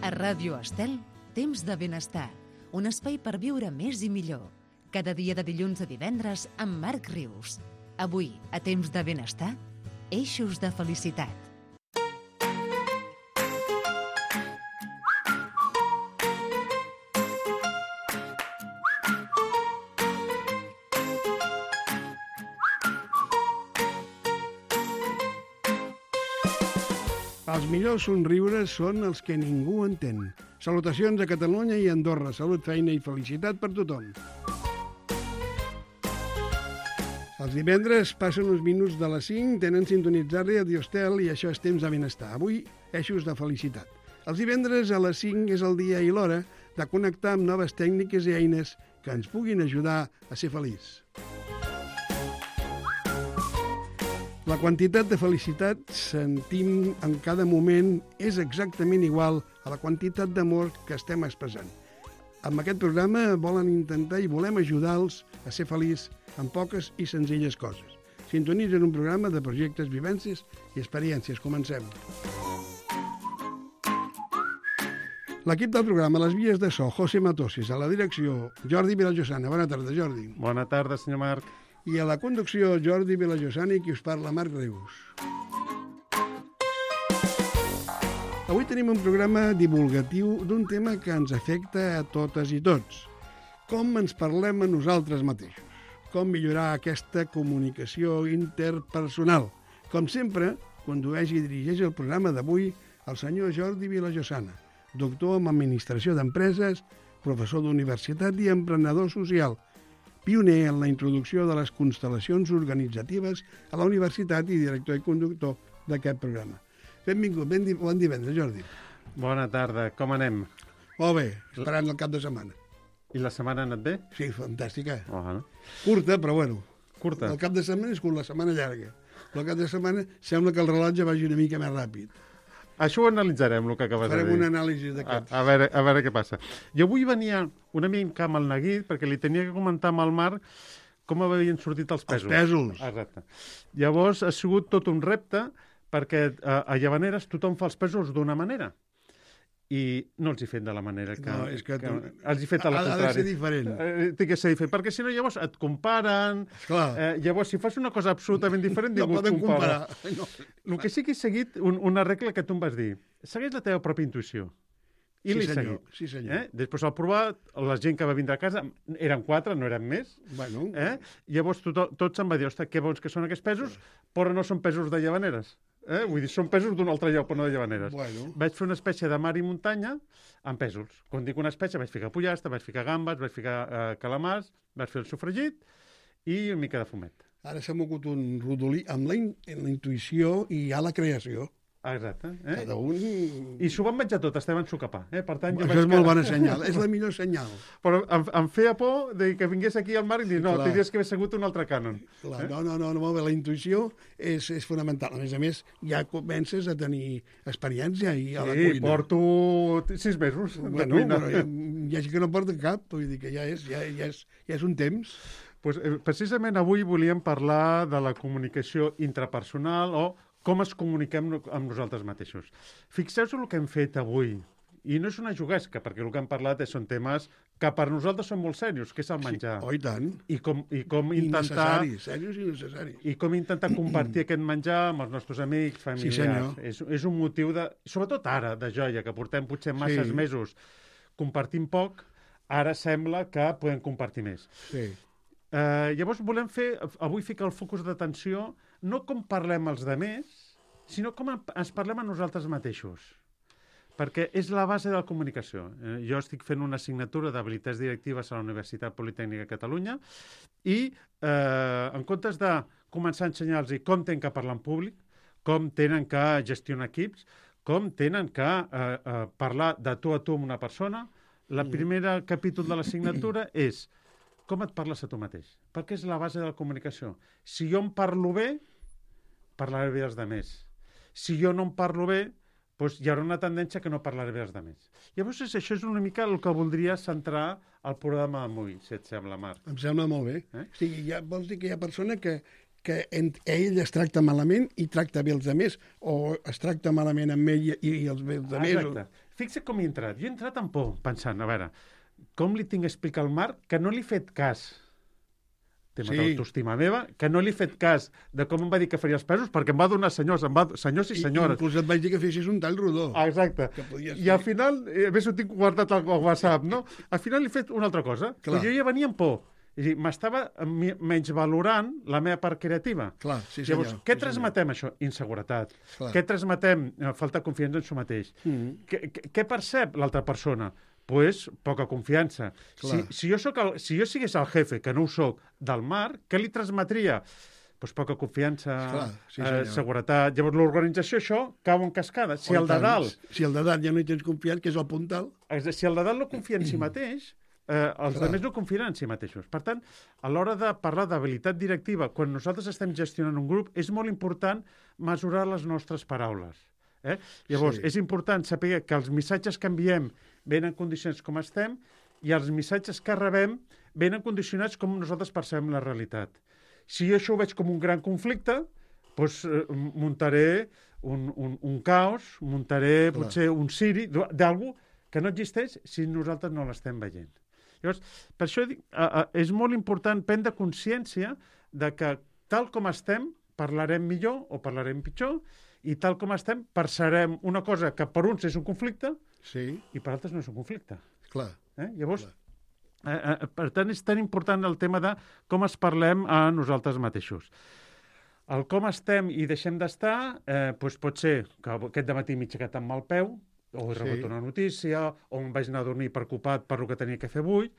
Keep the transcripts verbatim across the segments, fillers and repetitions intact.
A Ràdio Estel, Temps de Benestar, un espai per viure més i millor. Cada dia de dilluns a divendres amb Marc Rius. Avui, a Temps de Benestar, eixos de felicitat. Els millors somriures són els que ningú entén. Salutacions a Catalunya i Andorra. Salut, feina i felicitat per tothom. Els divendres passen uns minuts de les cinc, tenen sintonitzat Radio Estel i això és Temps de Benestar. Avui, eixos de felicitat. Els divendres a les cinc és el dia i l'hora de connectar amb noves tècniques i eines que ens puguin ajudar a ser feliç. La quantitat de felicitat sentim en cada moment és exactament igual a la quantitat d'amor que estem expressant. Amb aquest programa volen intentar i volem ajudar-los a ser feliç amb poques i senzilles coses. Sintonitzen un programa de projectes, vivències i experiències. Comencem. L'equip del programa, les vies de so, José Matossis, a la direcció, Jordi Vilallosana. Bona tarda, Jordi. Bona tarda, senyor Marc. I a la conducció, Jordi Vilallosana i qui us parla, Marc Rius. Avui tenim un programa divulgatiu d'un tema que ens afecta a totes i tots. Com ens parlem a nosaltres mateixos. Com millorar aquesta comunicació interpersonal. Com sempre, condueix i dirigeix el programa d'avui el senyor Jordi Vilallosana, doctor en Administració d'Empreses, professor d'universitat i emprenedor social, pioner en la introducció de les constel·lacions organitzatives a la universitat i director i conductor d'aquest programa. Benvingut, ben di bon divendres, Jordi. Bona tarda, com anem? Molt bé, esperant el cap de setmana. I la setmana ha anat bé? Sí, fantàstica. Oh, no? Curta, però bueno. Curta? El cap de setmana és curt, la setmana llarga. Però el cap de setmana sembla que el rellotge vagi una mica més ràpid. Això ho analitzarem, el que acabes Farem de dir. Farem una anàlisi d'aquests. A, a, veure, a veure què passa. Jo avui venia una mica amb el neguit, perquè li tenia que comentar amb el Marc com havien sortit els pèsols. Els pèsols. Exacte. Llavors ha sigut tot un repte, perquè a, a Llavaneres tothom fa els pèsols d'una manera. I no els he fet de la manera que... No, és que... que tu... els he fet a la ha, contrari. Ha de ser diferent. Eh, té que ser diferent, perquè si no llavors et comparen. Eh, llavors, si fas una cosa absolutament diferent, no poden comparar. No. El que sí que he seguit, un, una regla que tu em vas dir, segueix la teva pròpia intuïció. I sí, l'he senyor. seguit. Sí, senyor. Eh? Després al provar, la gent que va vindre a casa, eren quatre, no eren més. Bueno. Eh? Llavors tot, tots em va dir, ostres, que bons que són aquests pesos, però no són pesos de Llavaneres. Eh? Vull dir, són pesos d'un altre lloc, però no de Llavaneres. Bueno. Vaig fer una espècie de mar i muntanya amb pesos. Quan dic una espècie, vaig ficar pollastre, vaig ficar gambes, vaig ficar eh, calamars, vaig fer el sofregit i una mica de fumet. Ara s'ha mogut un rodolí amb la, in la intuïció i hi ha la creació. Exacte. Eh? Cada un... I s'ho van menjar tot, estaven socapar. Eh? Per tant, jo Això vaig és molt bona senyal, és la millor senyal. Però em, em feia por de que vingués aquí al Marc i dir, no, Clar. tindries que haver segut un altre cànon. Clar, eh? No, no, no, no, molt bé, la intuïció és, és fonamental. A més a més, ja comences a tenir experiència i a la sí, cuina. Sí, porto sis mesos bueno, de cuina. Però hi, hi ha gent que no porta cap, vull dir que ja és, ja, ja és, ja és un temps. Pues, eh, precisament avui volíem parlar de la comunicació intrapersonal o com es comuniquem amb nosaltres mateixos. Fixeu-vos el que hem fet avui. I no és una juguesca, perquè el que hem parlat són temes que per nosaltres són molt serios, que és el menjar. Sí, oh, i tant. I com, i com I intentar... necessaris, serios i necessaris. I com intentar compartir aquest menjar amb els nostres amics, familiars. Sí, senyor. És, és un motiu, de, sobretot ara, de joia, que portem potser masses Sí. mesos compartint poc, ara sembla que podem compartir més. Sí. Uh, llavors volem fer, avui ficar el focus d'atenció, no com parlem els demés, sinó com ens parlem a nosaltres mateixos. Perquè és la base de la comunicació. Eh, jo estic fent una assignatura d'habilitats directives a la Universitat Politècnica de Catalunya i eh, en comptes de començar a ensenyar-los com tenen que parlar en públic, com tenen que gestionar equips, com tenen que eh, eh, parlar de tu a tu amb una persona, el primer capítol de l'assignatura és com et parles a tu mateix? Perquè és la base de la comunicació. Si jo em parlo bé, parlaré bé dels demés. Si jo no em parlo bé, doncs hi haurà una tendència que no parlaré bé dels demés. Llavors, això és una mica el que voldria centrar el programa d'avui, si et sembla, Marc. Em sembla molt bé. Eh? O sigui, ja, vols dir que hi ha persona que, que ell es tracta malament i tracta bé els altres, o es tracta malament amb ell i, i els bé els altres. Exacte. O... Fixa com hi he entrat. Jo he entrat amb por, pensant, a veure, com li tinc a explicar al Marc que no li he fet cas, tema sí. d'autoestima meva, que no li he fet cas de com em va dir que faria els pesos, perquè em va donar senyors, em va... senyors i senyores. I inclús et vaig dir que fessis un tall rodó. Ah, exacte. I al final, eh, a més ho tinc guardat al WhatsApp, no? Al final li he fet una altra cosa. Clar. Jo ja venia amb por. És a dir, m'estava menys valorant la meva part creativa. Clar, sí senyor. Llavors, què sí transmetem, això? Inseguretat. Clar. Què transmetem? Falta de confiança en si mateix. Mm -hmm. Què, què, què percep l'altra persona? Pues, poca confiança. Si, si, jo soc el, si jo sigués el jefe, que no ho soc, del Marc, què li transmetria? Pues poca confiança, Clar, sí, eh, seguretat... Llavors, l'organització, això, cau en cascada. Si el de dalt... Si el de dalt ja no hi tens confiança, que és el puntal... Si el de dalt no confia en si mateix, eh, els Clar. altres no confien en si mateixos. Per tant, a l'hora de parlar d'habilitat directiva, quan nosaltres estem gestionant un grup, és molt important mesurar les nostres paraules. Eh? Llavors, sí. és important saber que els missatges que enviem venen condicionats com estem i els missatges que rebem venen condicionats com nosaltres percebem la realitat. Si jo això ho veig com un gran conflicte, doncs eh, muntaré un, un, un caos, muntaré Clar. potser un siri d'algú que no existeix si nosaltres no l'estem veient. Llavors, per això dic, eh, eh, és molt important prendre consciència de que tal com estem parlarem millor o parlarem pitjor i tal com estem percebrem una cosa que per uns és un conflicte sí. i per altres no és un conflicte. Clar. Eh? Llavors, Clar. Eh, eh, per tant, és tan important el tema de com es parlem a nosaltres mateixos. El com estem i deixem d'estar, eh, doncs pot ser que aquest dematí m'he aixecat amb mal peu, o he rebut sí. una notícia, o em vaig anar a dormir preocupat per el que tenia que fer avui,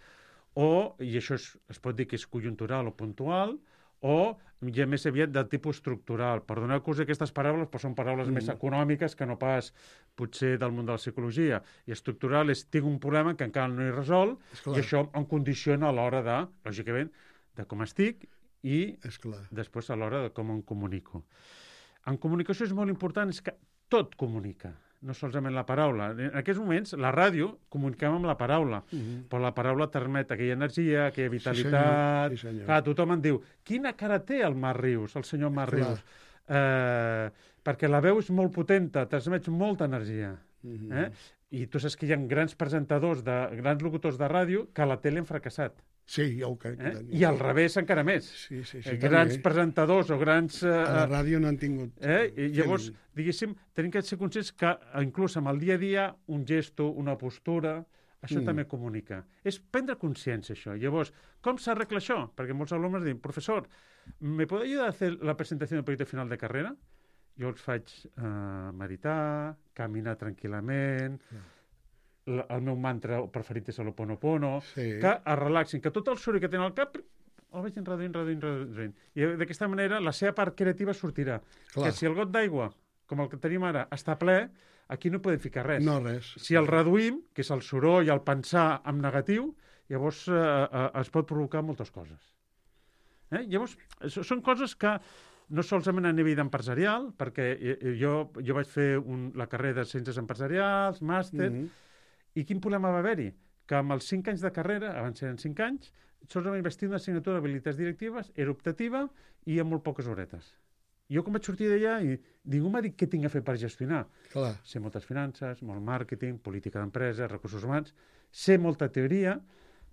o, i això es, es pot dir que és conjuntural o puntual, o ja més aviat de tipus estructural. Perdoneu-vos aquestes paraules, però són paraules mm. més econòmiques que no pas potser del món de la psicologia. I estructural és, tinc un problema que encara no he resolt i això em condiciona a l'hora de, lògicament, de com estic i després a l'hora de com em comunico. En comunicació és molt important és que tot comunica, no solament la paraula. En aquests moments, la ràdio, comuniquem amb la paraula, uh-huh. però la paraula permet aquella energia, aquella vitalitat... Sí, senyor. Sí, Clar, tothom em diu, quina cara té el Marc Rius, el senyor Marc Rius? Eh, perquè la veu és molt potenta, transmet molta energia. Uh-huh. Eh? I tu saps que hi ha grans presentadors, de, grans locutors de ràdio que a la tele han fracassat. Sí, ja ho crec. Eh? I al revés encara més. Sí, sí, sí, eh, grans també. presentadors o grans... Eh, a la ràdio no han tingut... Eh? I llavors, diguéssim, tenim que ser conscients que inclús amb el dia a dia un gesto, una postura, això mm. també comunica. És prendre consciència, això. Llavors, com s'arregla això? Perquè molts alumnes diuen, professor, ¿me puede ayudar a hacer la presentación del proyecto final de carrera? Jo els faig eh, meditar, caminar tranquil·lament... Mm. El meu mantra preferit és l'Ho'oponopono, sí. que es relaxin, que tot el soroll que tenen al cap el vagin reduint, reduint, reduint. I d'aquesta manera la seva part creativa sortirà. Clar. Que si el got d'aigua, com el que tenim ara, està ple, aquí no podem ficar res. No, res. Si el reduïm, que és el soroll, el pensar en negatiu, llavors eh, eh, es pot provocar moltes coses. Eh? Llavors, són coses que no solament a nivell empresarial, perquè jo, jo vaig fer un, la carrera de Ciències Empresarials, màster, mm-hmm. I quin problema va haver-hi? Que amb els cinc anys de carrera, abans eren cinc anys, solament vaig tenir una assignatura d'habilitats directives, era optativa i amb molt poques horetes. Jo quan vaig sortir d'allà, i ningú m'ha dit què tinc a fer per gestionar. Clar. Sé moltes finances, molt màrqueting, política d'empresa, recursos humans, sé molta teoria,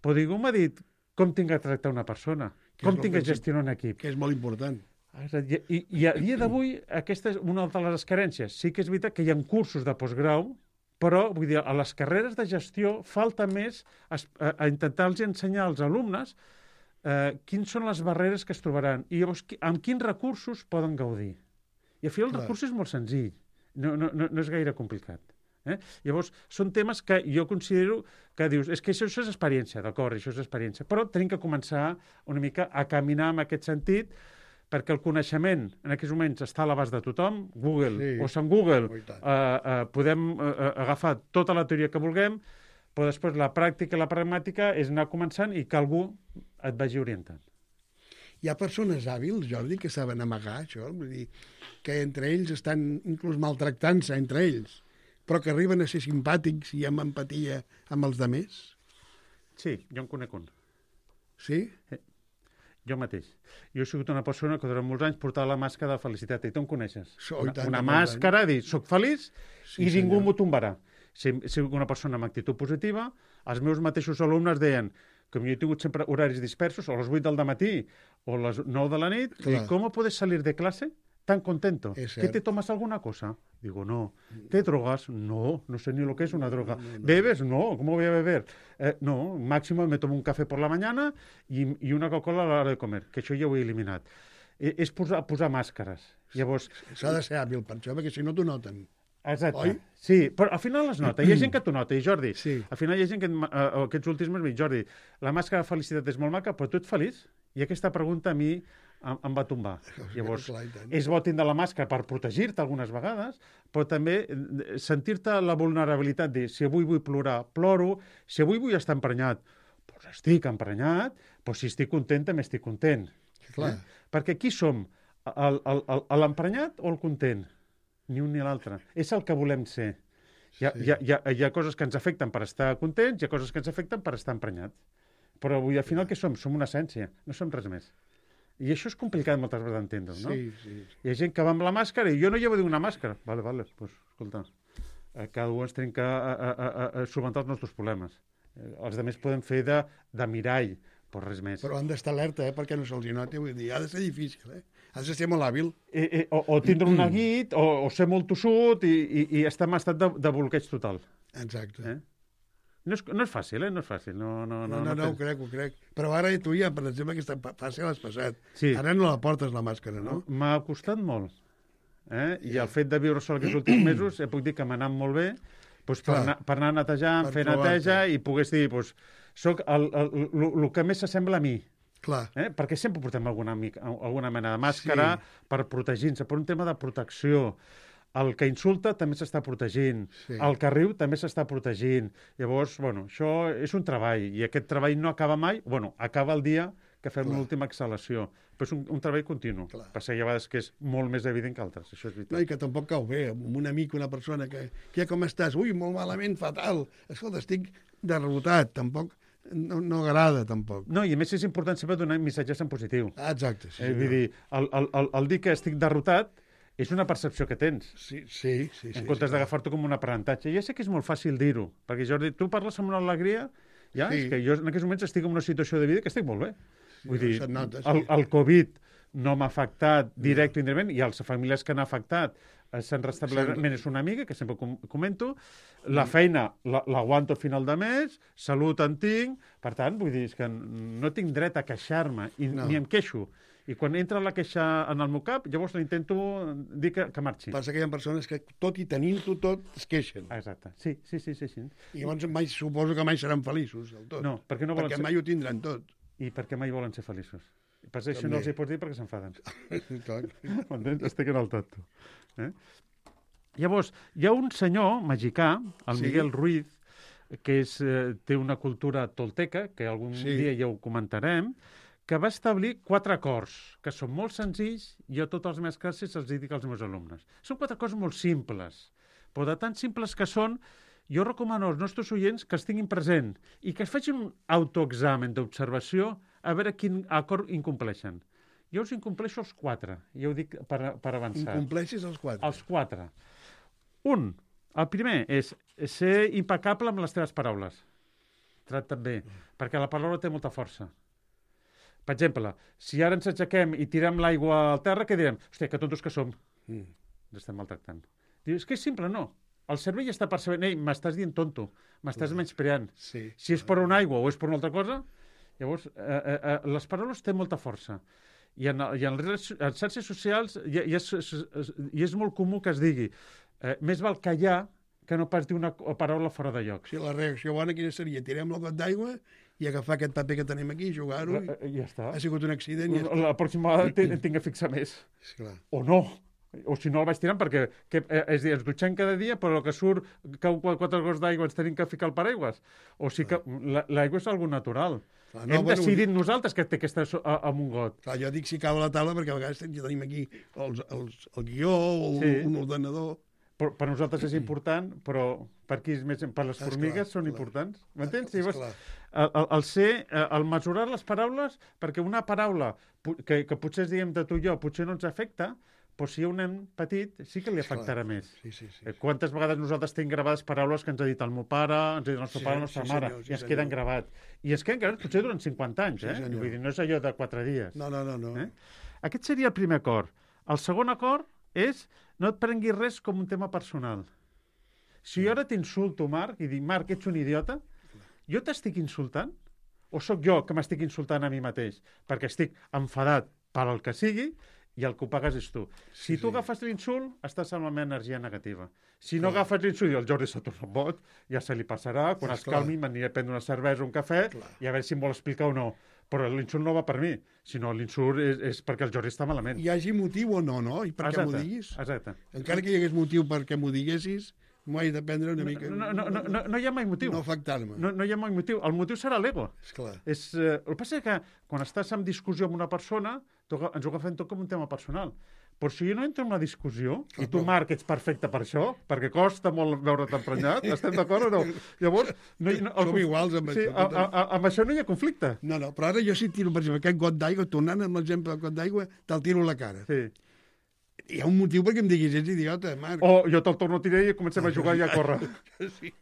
però ningú m'ha dit com tinc a tractar una persona, que com tinc a gestionar un equip. Que és molt important. I, i a dia d'avui, aquesta és una de les carències. Sí que és veritat que hi ha cursos de postgrau, però vull dir, a les carreres de gestió falta més a, a, a intentar-los ensenyar als alumnes eh, quins són les barreres que es trobaran i llavors qui, amb quins recursos poden gaudir. I al final el recurs és molt senzill, no, no, no, no és gaire complicat. Eh? Llavors, són temes que jo considero que dius, és que això, això és experiència, d'acord, això és experiència, però tenim que començar una mica a caminar en aquest sentit perquè el coneixement en aquests moments està a l'abast de tothom, Google sí. o Sant Google, eh, eh, podem eh, agafar tota la teoria que vulguem, però després la pràctica i la pragmàtica és anar començant i que algú et vagi orientant. Hi ha persones hàbils, Jordi, que saben amagar això, vull dir, que entre ells estan inclús maltractant-se entre ells, però que arriben a ser simpàtics i amb empatia amb els altres? Sí, jo en conec un. Sí? Sí. Jo mateix. Jo he sigut una persona que durant molts anys portava la màscara de felicitat. I tu em coneixes. So, Una, tant, una tant, màscara, dir, soc feliç Sí, i ningú senyor. m'ho tombarà. Si he sigut una persona amb actitud positiva, els meus mateixos alumnes deien, com jo he tingut sempre horaris dispersos, o a les vuit del matí o a les nou de la nit, Clar. i com puedes salir de clase tan contento? Es ¿Qué cert. te tomas alguna cosa? Digo, no. ¿Te drogas? No, no sé ni lo que es una droga. ¿Bebes? No, ¿cómo voy a beber? Eh, no, máximo me tomo un café por la mañana i, i una Coca-Cola a l'hora de comer, que això ja ho he eliminat. Eh, és posar, posar màscares. Llavors, S'ha de ser hàbil per això, perquè si no t'ho noten. exacte. Oi? Sí, però al final es nota. Hi ha gent que t'ho nota. I Jordi, Sí. al final hi ha gent que eh, aquests últims mesos, Jordi, la màscara de felicitat és molt maca, però tu ets feliç? I aquesta pregunta a mi em, em va tombar. Llavors, Clar, i tant. és bo tindre la màscara per protegir-te algunes vegades, però també eh, sentir-te la vulnerabilitat, dir, si avui vull plorar, ploro, si avui vull estar emprenyat, doncs estic emprenyat, però si estic content, també estic content. Clar. Eh? Perquè qui som? El- el- el- L'emprenyat o el content? Ni un ni l'altre. És el que volem ser. Hi ha, Sí. hi, ha, hi, ha, hi ha coses que ens afecten per estar contents, hi ha coses que ens afecten per estar emprenyats. Però avui, al final, què som? Som una essència, no som res més. I això és complicat moltes vegades d'entendre, no? Sí, sí. Hi ha gent que va amb la màscara i jo no llevo una màscara. Vale, vale, pues, escolta, eh, cada un ens tenim que a, a, a, a solventar els nostres problemes. Eh, els altres podem fer de, de mirall, però res més. Però han d'estar alerta, eh, perquè no se'ls hi noti. Vull dir, ha de ser difícil, eh? Has de ser molt hàbil. Eh, eh, o, o tindre un neguit, o, o ser molt tossut i, i, i estar en estat de, de bloqueig total. Exacte. Eh? No, és, no és fàcil, eh? No és fàcil. No, no, No, no, no, no, ho tens- crec, ho crec. Però ara tu ja, per exemple, aquesta pa- fase l'has passat. Sí. Ara no la portes, la màscara, no? M'ha costat molt. Eh? I el fet de viure sol aquests últims mesos, eh, puc dir que m'ha anat molt bé doncs, per, Clar. anar, per anar netejant, Per fer trobar-te. neteja i pogués dir, doncs, soc el, el, el, el que més s'assembla a mi. Clar. Eh? Perquè sempre portem alguna, mica- alguna mena de màscara Sí. per protegir-nos, per un tema de protecció. El que insulta també s'està protegint. Sí. El que riu també s'està protegint. Llavors, bueno, això és un treball, i aquest treball no acaba mai, bueno, acaba el dia que fem Clar. l'última exhalació. Però és un, un treball continu. Clar. Passa que hi ha vegades que és molt més evident que altres, això és veritat. No, i que tampoc cau bé, amb un amic, una persona que... Què, com estàs? Ui, molt malament, fatal. Escolta, estic derrotat, tampoc... No, no agrada, tampoc. No, i a més és important sempre donar missatges en positiu. Ah, exacte, sí. eh, vull dir, el, el, el, el dir que estic derrotat és una percepció que tens. Sí, sí, sí. En sí, comptes sí, d'agafar-t'ho com un aprenentatge. Ja sé que és molt fàcil dir-ho, perquè Jordi, tu parles amb una alegria, ja, Sí. és que jo en aquests moments estic en una situació de vida que estic molt bé. Vull dir, se't nota, sí. el, el Covid no m'ha afectat directe o indirectament, i els famílies que n'ha afectat eh, s'han restablert, Sempre. és una amiga, que sempre com comento, la feina la- l'aguanto a final de mes, salut en tinc, per tant, vull dir, és que no tinc dret a queixar-me, i No. ni em queixo. I quan entra la queixa en el meu cap, llavors intento dir que, que marxi. Passa que hi ha persones que, tot i tenint-ho tot, es queixen. Exacte. Sí, sí, sí, sí, sí. I llavors mai, suposo que mai seran feliços, del tot. No, perquè no volen perquè ser- mai ho tindran tot. I perquè mai volen ser feliços. I per això També. no els hi pots dir perquè s'enfaden. Clar. M'entens? Estic en el tanto. Eh? Llavors, hi ha un senyor mexicà, el Sí. Miguel Ruiz, que és, eh, té una cultura tolteca, que algun Sí. dia ja ho comentarem, que va establir quatre acords, que són molt senzills, i jo a totes les meves classes els dic als meus alumnes. Són quatre acords molt simples, però de tan simples que són, jo recomano als nostres oients que els tinguin present i que es facin un autoexamen d'observació a veure quin acord incompleixen. Jo us incompleixo els quatre, ja ho dic per, per avançar. Incompleixis els quatre. Els quatre. Un, el primer és ser impecable amb les teves paraules. Tracta't bé, perquè la paraula té molta força. Per exemple, si ara ens aixequem i tirem l'aigua al terra, què direm? Hòstia, que tontos que som. Mm. Ens estem maltractant. Dius, és que és simple, no. El cervell està percebent, ei, m'estàs dient tonto, m'estàs menyspreant. Sí. Si és per una aigua o és per una altra cosa, llavors, eh, eh, eh, les paraules tenen molta força. I en, i en les xarxes socials i, i, és, és, i és molt comú que es digui eh, més val callar que no pas dir una paraula fora de lloc. Sí, la reacció bona quina seria? Tirem la got d'aigua i agafar aquest paper que tenim aquí i jugar-ho. Eh, eh, Ja està. Ha sigut un accident i ja està. La pròxima vegada te- tinc que fixar més. Sí, clar. O no. O si no el vaig tirant perquè que, eh, és a dir, ens dutxem cada dia, però el que surt cau quatre gots d'aigua ens tenim que ficar al paraigües. O sigui que la- l'aigua és algo natural. Clar, No, no, Hem bueno, decidit nosaltres que té que estar so- a- amb un got. Clar, jo dic si cau a la taula perquè a vegades ja tenim aquí els, els, el guió o Sí. un ordenador. per, per nosaltres és important, però per qui és més... Per les Esclar, formigues són clar. importants. M'entens? Esclar. Llavors, el, el, el ser, el mesurar les paraules, perquè una paraula pu- que, que potser es diguem de tu i jo, potser no ens afecta, però si hi ha un nen petit sí que li Esclar. afectarà més. Sí, sí, sí. Eh, Quantes vegades nosaltres tenim gravades paraules que ens ha dit el meu pare, ens ha dit el nostre Sí, pare, la nostra sí, mare, senyor, sí, i ens senyor. queden gravats. I es queden gravats potser durant cinquanta anys, Sí, eh? senyor. Vull dir, no és allò de quatre dies. No, no, no. no. Eh? Aquest seria el primer acord. El segon acord és no et prenguis res com un tema personal. Si jo ara t'insulto, Marc, i dic, Marc, ets un idiota, jo t'estic insultant? O sóc jo que m'estic insultant a mi mateix? Perquè estic enfadat per al que sigui i el que ho pagues és tu. Si Sí, tu sí. agafes l'insult, estàs amb la meva energia negativa. Si no Clar. agafes l'insult i el Jordi s'ha tornat boig, ja se li passarà, quan Sí, es clar. calmi m'aniré a prendre una cervesa o un cafè Clar. i a veure si em vol explicar o no. Però l'insult no va per mi, sinó l'insult és, és perquè el Jordi està malament. Hi hagi motiu o no, no? I per què m'ho Exacte, diguis? Exacte. Encara que hi hagués motiu perquè m'ho diguessis, m'ho he de prendre una mica... No, no, no, no, no hi ha mai motiu. No afectar-me. No, no hi ha mai motiu. El motiu serà l'ego. Esclar. És, eh, el que passa és que quan estàs en discussió amb una persona, tu aga- ens ho agafem tot com un tema personal. Però si jo no entro en una discussió, i tu, Marc, ets perfecte per això, perquè costa molt veure't emprenyat, estem d'acord o no? Llavors... No, hi- no, el Som conf- iguals amb sí, això, a, tothom. a, a, amb això no hi ha conflicte. No, no, però ara jo si tiro, per exemple, aquest got d'aigua, tornant amb l'exemple del got d'aigua, te'l tiro a la cara. Sí. Hi ha un motiu perquè em diguis, ets idiota, Marc. O jo te'l torno a tirar i comencem a jugar i a córrer. Sí.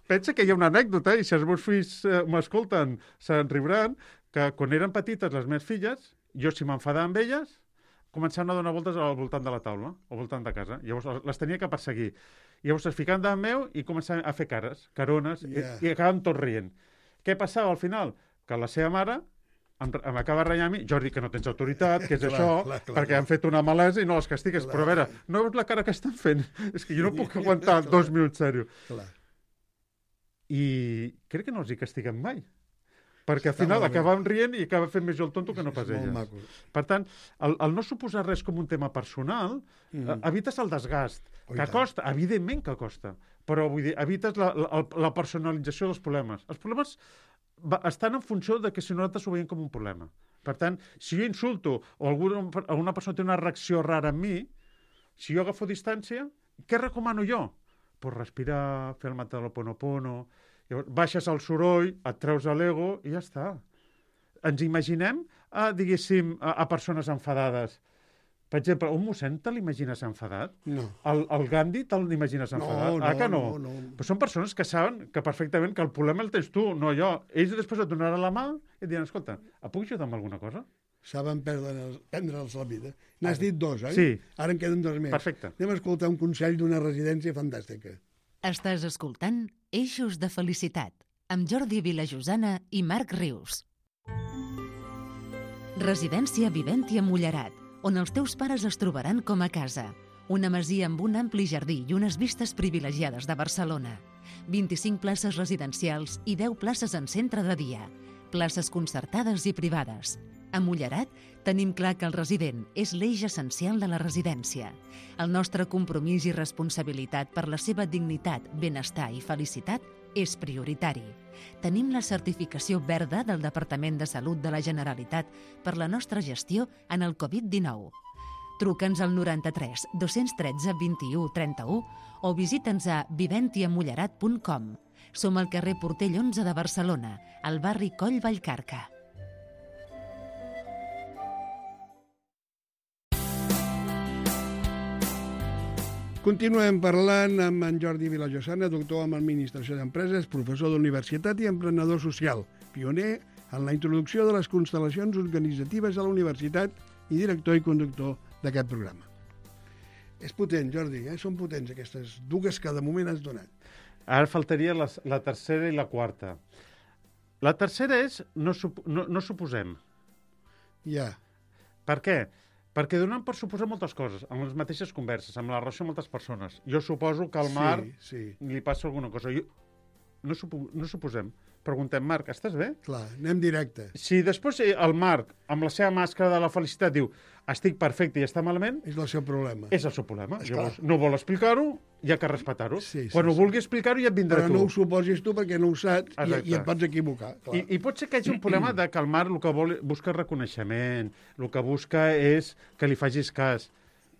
Pensa que hi ha una anècdota, i si els meus fills eh, m'escolten, se'n riuran, que quan eren petites les meves filles, jo si m'enfadava amb elles, començaven a donar voltes al voltant de la taula, al voltant de casa. Llavors les tenia que perseguir. Llavors es ficaven davant meu i començaven a fer cares, carones, Ja. i, i acabaven tot rient. Què passava al final? Que la seva mare em, em acaba renyant a mi, Jordi, que no tens autoritat, que és Clar, això, clar, clar, perquè clar. han fet una malesa i no les castigues. Clar. Però a veure, no veus la cara que estan fent? És que jo no puc aguantar Clar. dos minuts, sèrio. Clar. I crec que no els hi castiguem mai. Perquè al Està final molt bé. acabàvem rient i acaba fent més jo el tonto que no pas És molt elles. maco. Per tant, el, el no suposar res com un tema personal, Mhm. mm. evites el desgast, Oh, i que tant. costa, evidentment que costa, però vull dir, evites la, la, la personalització dels problemes. Els problemes va, estan en funció de que si nosaltres ho veiem com un problema. Per tant, si jo insulto o alguna, alguna persona té una reacció rara en mi, si jo agafo distància, què recomano jo? Pues respirar, fer el mataloponopono, llavors baixes el soroll, et treus l'ego i ja està. Ens imaginem, a, diguéssim, a, a persones enfadades. Per exemple, un mossèn te l'imagines enfadat? No. El, el Gandhi te l'imagines No, enfadat? no, ah, que no? no, no. Però són persones que saben que perfectament que el problema el tens tu, no jo. Ells després et donaran la mà i et diran, escolta, et puc ajudar amb alguna cosa? Saben perdre'ls prendre'ls la vida. N'has dit dos, oi? Sí. Ara en queden dos més. Perfecte. Anem a escoltar un consell d'una residència fantàstica. Estàs escoltant Eixos de Felicitat amb Jordi Vilajosana i Marc Rius. Residència Viventi a Mullerat, on els teus pares es trobaran com a casa. Una masia amb un ampli jardí i unes vistes privilegiades de Barcelona. vint-i-cinc places residencials i deu places en centre de dia. Places concertades i privades. A Mullerat tenim clar que el resident és l'eix essencial de la residència. El nostre compromís i responsabilitat per la seva dignitat, benestar i felicitat és prioritari. Tenim la certificació verda del Departament de Salut de la Generalitat per la nostra gestió en el covid dinou. Truca'ns al noranta-tres dos-cents tretze vint-i-u trenta-u o visita'ns a viventiamullerat punt com. Som al carrer Portell onze de Barcelona, al barri Coll Vallcarca. Continuem parlant amb en Jordi Vilajosana, doctor en Administració d'Empreses, professor d'universitat i emprenedor social, pioner en la introducció de les constel·lacions organitzatives a la universitat i director i conductor d'aquest programa. És potent, Jordi, eh? Són potents aquestes dues que de moment has donat. Ara faltaria la, la tercera i la quarta. La tercera és no, sup, no, no suposem. Ja. Per què? Perquè donem per suposar moltes coses, amb les mateixes converses, amb la relació amb moltes persones. Jo suposo que al Marc Sí, sí. li passa alguna cosa. Jo, no, supo, no suposem. Preguntem, Marc, estàs bé? Clar, anem directe. Si després eh, el Marc, amb la seva màscara de la felicitat, diu estic perfecte i està malament, És el seu problema. és el seu problema. Esclar. Llavors, no vol explicar-ho, hi ha que respectar-ho. Sí, sí, Quan ho sí. vulgui explicar-ho ja et vindrà Però tu. no ho suposis tu perquè no ho saps i, Exacte. i et pots equivocar. Clar. I, I pot ser que hi hagi un problema de que el Marc el que vol, busca reconeixement, el que busca és que li facis cas.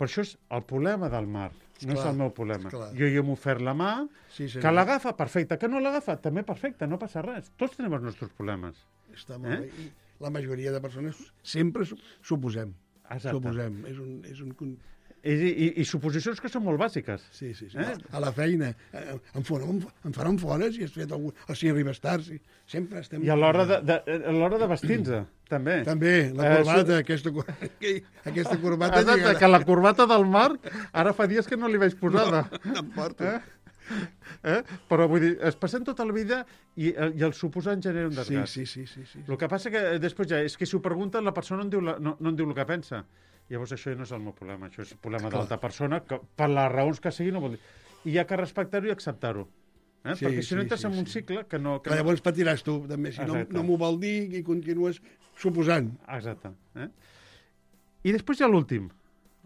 Però això és el problema del Marc. no és Clar, el meu problema. clar. Jo hi hem ofert la mà, Sí, senyor. que l'agafa, perfecte, que no l'agafa, també perfecte, no passa res. Tots tenim els nostres problemes. Està molt Eh? bé. I la majoria de persones sempre su- suposem. Exacte. Suposem. És un... És un... con- I, i, I suposicions que són molt bàsiques. Sí, sí, sí. Eh? A la feina. eh, Em, faran, em faran fora si has fet algun... O si arribes tard. Si... Sempre estem... I a l'hora de, de, a l'hora de vestir-nos, també. També, la Eh, corbata, aquesta, cor- aquesta corbata... Exacte, lligada. que la corbata del Marc ara fa dies que no li vaig posada. No em porto. Eh? Eh? Però vull dir, es passen tota la vida i, i el suposant genera un Sí, desgast. sí, sí, sí, sí. El que passa que després ja és que si ho pregunten la persona no en diu, la, no, no en diu el que pensa. Llavors això no és el meu problema, això és el problema Clar. d'altra persona que per les raons que sigui no vol dir. I hi ha que respectar-ho i acceptar-ho. Eh? Sí, Perquè si no sí, entres sí, en un sí. cicle que no... Que Clar, no... llavors patiràs tu, també. Si no, Exacte. no m'ho vol dir i continues suposant. Exacte. Eh? I després hi ha l'últim,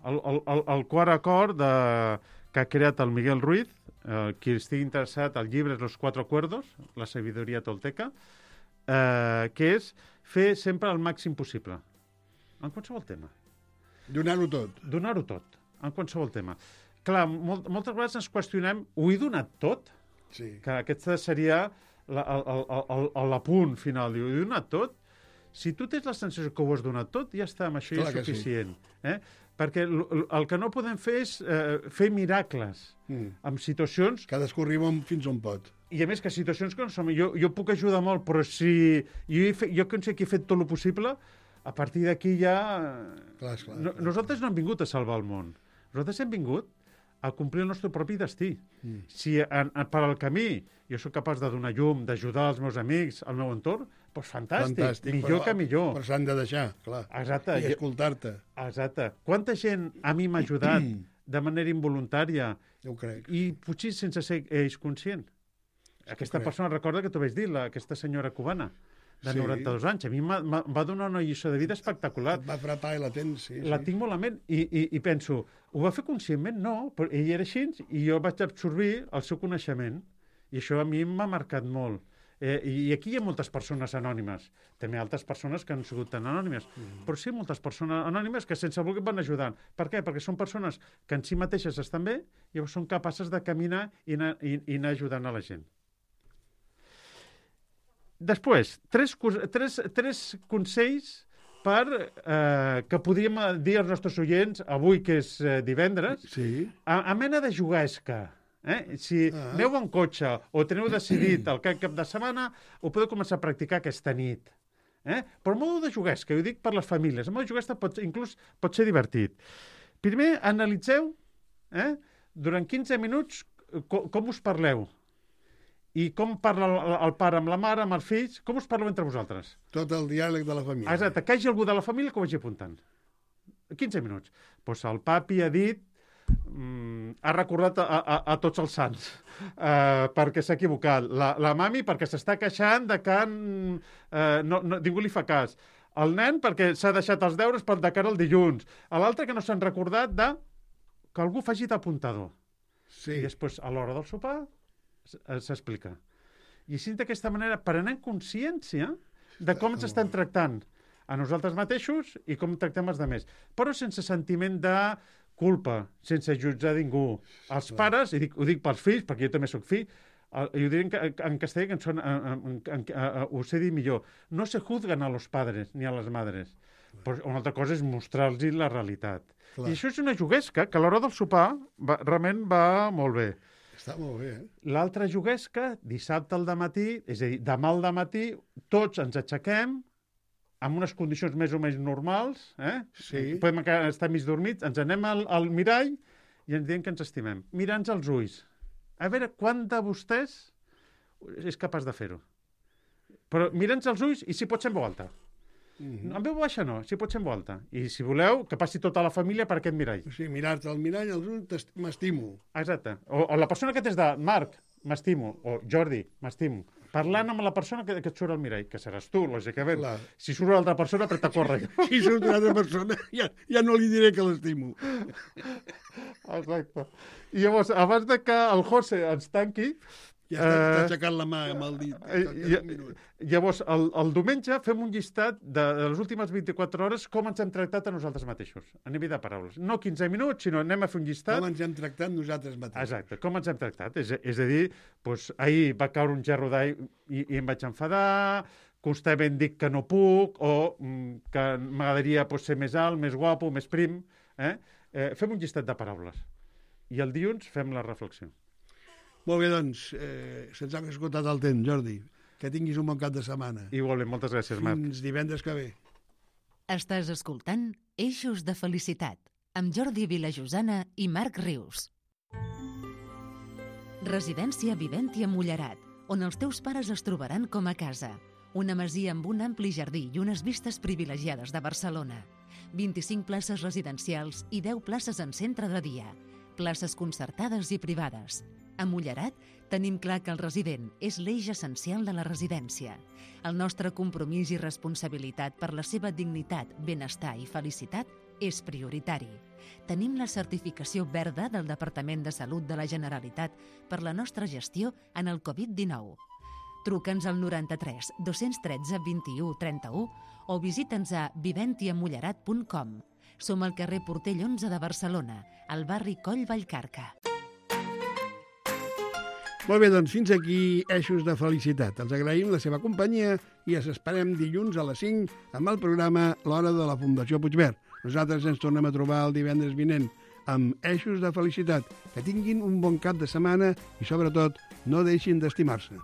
el, el, el, el quart acord de, que ha creat el Miguel Ruiz, eh, qui estigui interessat, el llibre és Los Cuatro Acuerdos, la sabidoria tolteca, eh, que és fer sempre el màxim possible, en qualsevol tema. Donar-ho tot. Donar-ho tot, en qualsevol tema. Clar, molt, moltes vegades ens qüestionem, ho he donat tot? Sí. Que aquesta seria la, el, el, el, el, l'apunt final. Diu, ho he donat tot? Si tu tens la sensació que ho has donat tot, ja està, amb això Clar ja és que sí. suficient. Eh? Perquè l, l, el que no podem fer és eh, fer miracles Mm. en situacions, Cadascú arriba on- fins on pot. i a més que situacions que no som... Jo, jo puc ajudar molt, però si jo, he fet, jo considero que he fet tot el possible, a partir d'aquí ja... Clar, esclar, no, clar. nosaltres no hem vingut a salvar el món. Nosaltres hem vingut a complir el nostre propi destí. Mm. Si en, en, per al camí jo sóc capaç de donar llum, d'ajudar els meus amics, al meu entorn, doncs fantàstic, Fantàstic. millor però, que millor. Però s'han de deixar, clar. Exacte. I I- escoltar-te. Exacte. Quanta gent a mi m'ha ajudat de manera involuntària Jo ho crec. i potser sense ser ells conscient? Aquesta crec. persona, recorda que t'ho vaig dir, la, aquesta senyora cubana, de Sí. noranta-dos anys. A mi m'ha- m'ha- va donar una lliçó de vida espectacular. Et va frapar i la tens, sí. La sí. tinc molt a ment i, i, i penso, ho va fer conscientment? No, però ell era així i jo vaig absorbir el seu coneixement i això a mi m'ha marcat molt. Eh, I aquí hi ha moltes persones anònimes, també altres persones que han sigut tan anònimes, mm. però sí moltes persones anònimes que sense voler van ajudant. Per què? Perquè són persones que en si mateixes estan bé i llavors són capaces de caminar i anar, i, i anar ajudant a la gent. Després, tres, cos- tres, tres consells per, eh, que podríem dir als nostres oients avui, que és eh, divendres, Sí. a, a mena de juguesca. Eh? Si Ah. aneu en cotxe o teniu decidit el cap, cap de setmana, ho podeu començar a practicar aquesta nit. Eh? Però en modo de juguesca, ho dic per les famílies. En modo de juguesca pot, inclús pot ser divertit. Primer, analitzeu eh, durant quinze minuts com, com us parleu i com parla el, el pare amb la mare, amb els fills, com us parleu entre vosaltres. Tot el diàleg de la família. Exacte, que hi hagi algú de la família que ho vagi apuntant. quinze minuts. Pues el papi ha dit, mm, ha recordat a, a, a tots els sants uh, perquè s'ha equivocat. La, la mami perquè s'està queixant de que uh, no, no, ningú li fa cas. El nen perquè s'ha deixat els deures per de cara al dilluns. L'altre que no s'han recordat de que algú faci d'apuntador. Sí. I després, a l'hora del sopar, s- eh, s'explica. I així, d'aquesta manera, prenent consciència de com ens estan tractant a nosaltres mateixos i com tractem els altres. Però sense sentiment de culpa, sense jutjar ningú. Els pares, i dic, ho dic pels fills, perquè jo també sóc fill, el- i ho diré en, ca- en castellà, que en son, en, en, en, en, ho sé dir millor. No se juzgan a los padres ni a les madres. Però una altra cosa és mostrar-los la realitat. Clar. I això és una juguesca que a l'hora del sopar va, realment va molt bé. Està molt bé, eh? L'altra juguesca, dissabte al dematí, és a dir, demà al dematí, tots ens aixequem amb unes condicions més o menys normals, eh? Sí. Podem encara estar mig dormits, ens anem al, al mirall i ens diem que ens estimem. Mirant-nos als ulls. A veure, quant de vostès és capaç de fer-ho? Però mirant-nos als ulls i si pot ser en veu alta. Mm En veu baixa no, si pot ser en veu alta. I si voleu, que passi tota la família per aquest mirall. O sigui, mirar-te al mirall, als ulls, t'est- m'estimo. Exacte. O, o la persona que tens de Marc, m'estimo, o Jordi, m'estimo. Parlant amb la persona que, que et surt al mirall, que seràs tu, lògicament. Clar. Si surt una altra persona, apreta a córrer. Si surt una altra persona, ja, ja no li diré que l'estimo. Exacte. I llavors, abans de que el José ens tanqui, Ja està, Eh, t'ha aixecat la mà amb el dit. Eh, Toca lla- un minut. Llavors, el, el diumenge fem un llistat de, de les últimes vint-i-quatre hores com ens hem tractat a nosaltres mateixos, a nivell de paraules. No quinze minuts, sinó anem a fer un llistat. Com ens hem tractat nosaltres mateixos. Exacte, com ens hem tractat. És, és a dir, doncs, ahir va caure un gerro d'aigua i, i em vaig enfadar, constantment dic que no puc, o mm, que m'agradaria doncs, ser més alt, més guapo, més prim. Eh? Eh, fem un llistat de paraules. I el dilluns fem la reflexió. Molt bé, doncs, eh, se'ns ha esgotat el temps, Jordi. Que tinguis un bon cap de setmana. Igualment, moltes gràcies, Marc. Fins divendres que ve. Estàs escoltant Eixos de Felicitat amb Jordi Vilajosana i Marc Rius. Residència Viventia Mullerat, on els teus pares es trobaran com a casa. Una masia amb un ampli jardí i unes vistes privilegiades de Barcelona. vint-i-cinc places residencials i deu places en centre de dia. Places concertades i privades. A Mullerat tenim clar que el resident és l'eix essencial de la residència. El nostre compromís i responsabilitat per la seva dignitat, benestar i felicitat és prioritari. Tenim la certificació verda del Departament de Salut de la Generalitat per la nostra gestió en el covid dinou. Truca'ns al noranta-tres dos-cents tretze vint-i-u trenta-u o visita'ns a viventia mullerat punt com. Som al carrer Portell onze de Barcelona, al barri Coll Vallcarca. Molt bé, doncs fins aquí Eixos de Felicitat. Els agraïm la seva companyia i els esperem dilluns a les cinc amb el programa L'Hora de la Fundació Puigverd. Nosaltres ens tornem a trobar el divendres vinent amb Eixos de Felicitat. Que tinguin un bon cap de setmana i, sobretot, no deixin d'estimar-se.